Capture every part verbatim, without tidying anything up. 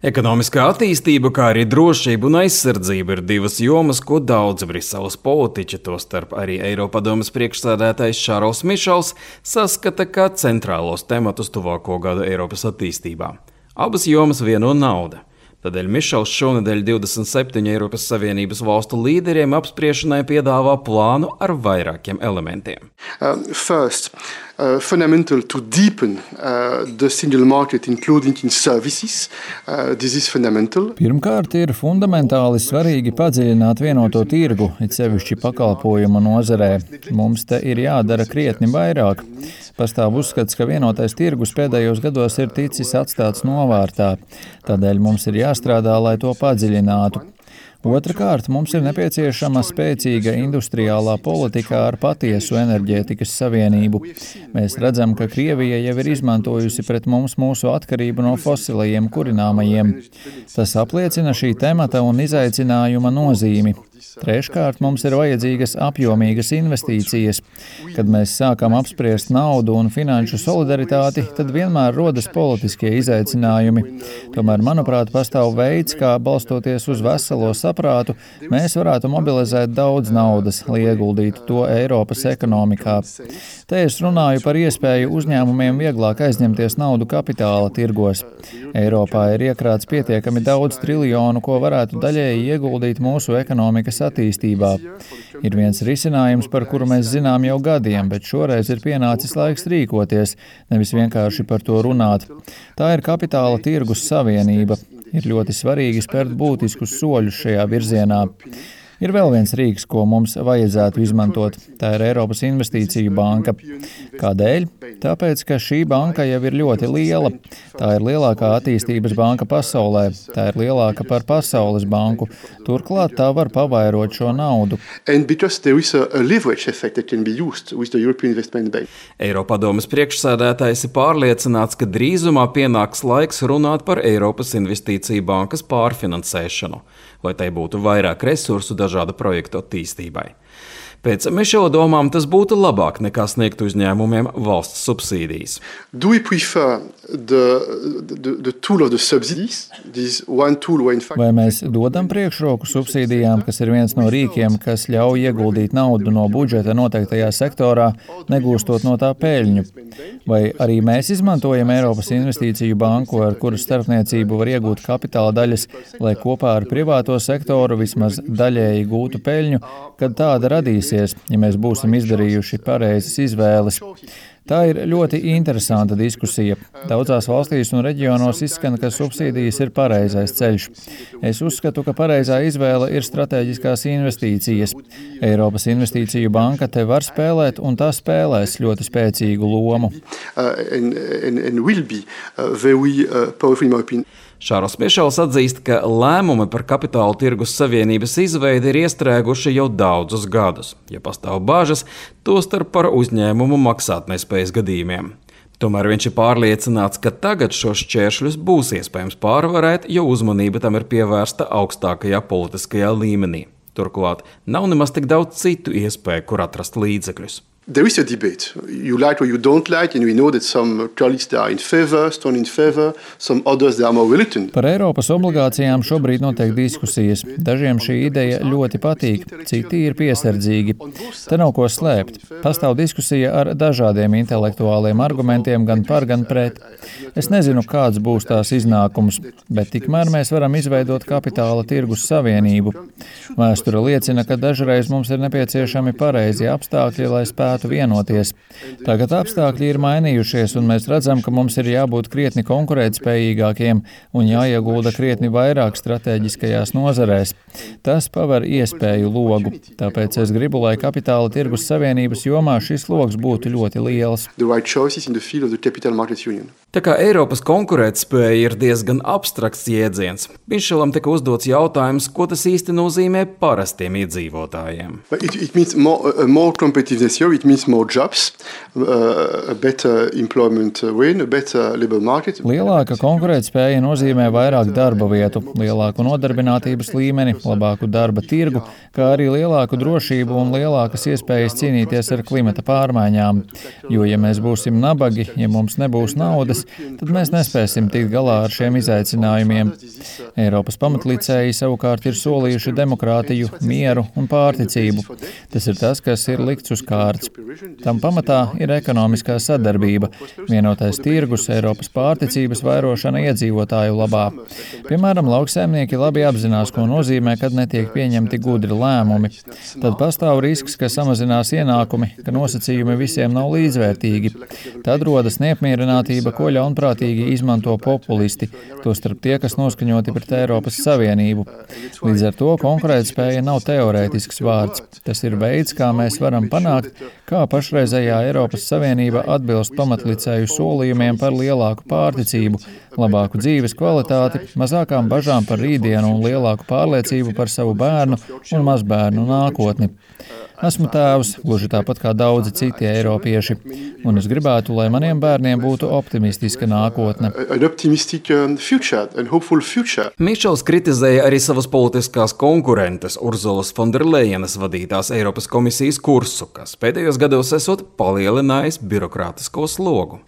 Ekonomiskā attīstība, kā arī drošība un aizsardzība ir divas jomas, ko daudzi Briseles politiķi, tostarp arī Eiropadomes priekšsēdētājs Šarls Mišels, saskata kā centrālos tematus tuvāko gadu Eiropas attīstībā. Abas jomas vieno nauda. Tādēļ Mišels šonedēļ divdesmit septiņu Eiropas Savienības valstu līderiem apspriešanai piedāvā plānu ar vairākiem elementiem. Uh, first, uh, fundamental to deepen uh, the single market, including in services. Uh, this is fundamental. Pirmkārt, ir fundamentāli svarīgi padziļināt vienoto tirgu, it sevišķi pakalpojumu nozarē. Mums te ir jādara krietni vairāk. Pastāv uzskats, ka vienotais tirgus pēdējos gados ir ticis atstāts novārtā. Tādēļ mums ir jāstrādā, lai to padziļinātu. Otrakārt, mums ir nepieciešama spēcīga industriālā politika ar patiesu enerģētikas savienību. Mēs redzam, ka Krievija jau ir izmantojusi pret mums mūsu atkarību no fosilajiem kurināmajiem. Tas apliecina šī temata un izaicinājuma nozīmi. Treškārt, mums ir vajadzīgas apjomīgas investīcijas. Kad mēs sākam apspriest naudu un finanšu solidaritāti, tad vienmēr rodas politiskie izaicinājumi. Tomēr, manuprāt, pastāv veids, kā balstoties uz veselo saprātu, mēs varētu mobilizēt daudz naudas, lai ieguldītu to Eiropas ekonomikā. Te es runāju par iespēju uzņēmumiem vieglāk aizņemties naudu kapitāla tirgos. Eiropā ir iekrāts pietiekami daudz triljonu, ko varētu daļēji ieguldīt mūsu ekonomikas attīstībā. Ir viens risinājums, par kuru mēs zinām jau gadiem, bet šoreiz ir pienācis laiks rīkoties, nevis vienkārši par to runāt. Tā ir kapitāla tirgus savienība. Ir ļoti svarīgi spērt būtiskus soļus šajā virzienā. Ir vēl viens rīks, ko mums vajadzētu izmantot. Tā ir Eiropas Investīciju banka. Kādēļ? Tāpēc, ka šī banka jau ir ļoti liela. Tā ir lielākā attīstības banka pasaulē. Tā ir lielāka par Pasaules banku. Turklāt tā var pavairot šo naudu. Eiropadomes priekšsēdētājs ir pārliecināts, ka drīzumā pienāks laiks runāt par Eiropas Investīciju bankas pārfinansēšanu, lai tai būtu vairāk resursu dažāda projektu attīstībai. Pēc Mišela domām tas būtu labāk nekā sniegt uzņēmumiem valsts subsīdijas. Do we prefer the, the, the tool of the subsidies? This one tool where in fact... Vai mēs dodam priekšroku subsīdijām, kas ir viens no rīkiem, kas ļauj ieguldīt naudu no budžeta noteiktajā sektorā, negūstot no tā peļņu? Vai arī mēs izmantojam Eiropas Investīciju banku, ar kuras starpniecību var iegūt kapitāla daļas, lai kopā ar privāto sektoru vismaz daļēji gūtu peļņu, kad tāda radīsies, ja mēs būsim izdarījuši pareizas izvēles? Tā ir ļoti interesanta diskusija. Daudzās valstīs un reģionos izskan, ka subsīdijas ir pareizais ceļš. Es uzskatu, ka pareizā izvēle ir strateģiskās investīcijas. Eiropas Investīciju banka te var spēlēt, un tā spēlēs ļoti spēcīgu lomu. Uh, and, and, and will be, uh, very, uh, powerful in my opinion. Šarls Mišels atzīst, ka lēmumi par kapitāla tirgus savienības izveidi ir iestrēguši jau daudzus gadus, ja pastāv bažas, tostarp par uzņēmumu maksātnespējas gadījumiem. Tomēr viņš ir pārliecināts, ka tagad šos šķēršļus būs iespējams pārvarēt, jo uzmanība tam ir pievērsta augstākajā politiskajā līmenī. Turklāt nav nemaz tik daudz citu iespēju, kur atrast līdzekļus. There is a debate. You like or you don't like, and we know that some colleagues are in favor, strong in favor, some others are more reluctant. Par Eiropas obligācijām šobrīd notiek diskusijas. Dažiem šī ideja ļoti patīk, citi ir piesardzīgi. Te nav ko slēpt. Pastāv diskusija ar dažādiem intelektuāliem argumentiem gan par, gan pret. Es nezinu, kāds būs tās iznākums, bet tikmēr mēs varam izveidot kapitāla tirgus savienību. Vēsture liecina, ka dažreiz mums ir nepieciešami pareizi apstākļi, lai spētu vienoties. Tagad apstākļi ir mainījušies, un mēs redzam, ka mums ir jābūt krietni konkurētspējīgākiem un jāiegulda krietni vairāk strateģiskajās nozarēs. Tas paver iespēju logu, tāpēc es gribu, lai kapitāla tirgus savienības jomā šis logs būtu ļoti liels. Tā kā Eiropas konkurētspēja ir diezgan abstrakts jēdziens, Mišelam tika uzdots jautājums, ko tas īsti nozīmē parastiem iedzīvotājiem. It, it means more, uh, more competitiveness here. It means more jobs, uh, a better employment rate, a better labor market. Lielāka konkurētspēja nozīmē vairāk darba vietu, lielāku nodarbinātības līmeni, labāku darba tirgu, kā arī lielāku drošību un lielākas iespējas cīnīties ar klimata pārmaiņām. Jo, ja mēs būsim nabagi, ja mums nebūs naudas, tad mēs nespēsim tikt galā ar šiem izaicinājumiem. Eiropas pamatlicēji savukārt ir solījuši demokrātiju, mieru un pārticību. Tas ir tas, kas ir likts uz kārts. Tam pamatā ir ekonomiskā sadarbība, vienotais tirgus, Eiropas pārticības vairošana iedzīvotāju labā. Piemēram, lauksaimnieki labi apzinās, ko nozīmē, kad netiek pieņemti gudri lēmumi. Tad pastāv risks, ka samazinās ienākumi, ka nosacījumi visiem nav līdzvērtīgi. Tad rodas neapmierinātība, ko ļaunprātīgi izmanto populisti, tostarp tie, kas noskaņoti pret Eiropas Savienību. Līdz ar to konkurētspēja nav teorētisks vārds. Tas ir veids, kā mēs varam panākt, kā pašreizējā Eiropas Savienība atbilst pamatlicēju solījumiem par lielāku pārticību, labāku dzīves kvalitāti, mazākām bažām par rītdienu un lielāku pārliecību par savu bērnu un mazbērnu nākotni. Esmu tēvs, gluži tāpat kā daudzi citi eiropieši, un es gribētu, lai maniem bērniem būtu optimistiska nākotne. Mišels kritizēja arī savas politiskās konkurentes Urzulas Fonderlejenas vadītās Eiropas komisijas kursu, kas pēdējos gados esot palielinājis birokrātisko slogu.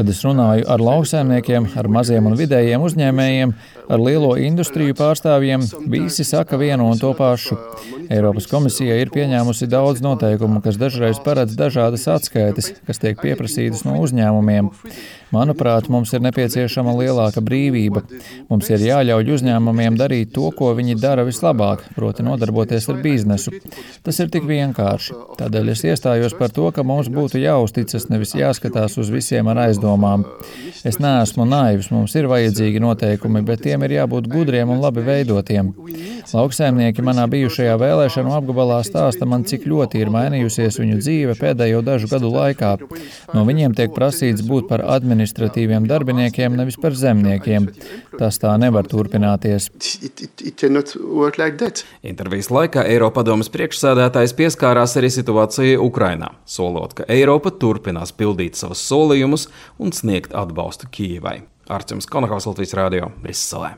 Kad es runāju ar lauksaimniekiem, ar maziem un vidējiem uzņēmējiem, ar lielo industriju pārstāvjiem, visi saka vienu un to pašu. Eiropas komisija ir pieņēmusi daudz noteikumu, kas dažreiz paredz dažādas atskaites, kas tiek pieprasītas no uzņēmumiem. Manuprāt, mums ir nepieciešama lielāka brīvība. Mums ir jāļauj uzņēmumiem darīt to, ko viņi dara vislabāk, proti nodarboties ar biznesu. Tas ir tik vienkārši. Tādēļ es iestājos par to, ka mums būtu jāuzticas, nevis jāskatās uz visiem ar aizdomām. Es neesmu naivs, mums ir vajadzīgi noteikumi, bet tiem ir jābūt gudriem un labi veidotiem. Lauksaimnieki manā bijušajā vēlēšanu apgabalā stāsta man, cik ļoti ir mainījusies viņu dzīve pēdējo dažu gadu laikā. No viņiem tiek prasīts būt par administratīviem darbiniekiem, nevis par zemniekiem. Tas tā nevar turpināties. It, it, it cannot work like that. Intervijas laikā Eiropadomes priekšsēdētājs pieskārās arī situācijai Ukrainā, solot, ka Eiropa turpinās pildīt savus solījumus un sniegt atbalstu Kijevai. Artjoms Konahaus, Latvijas radio, Briselē.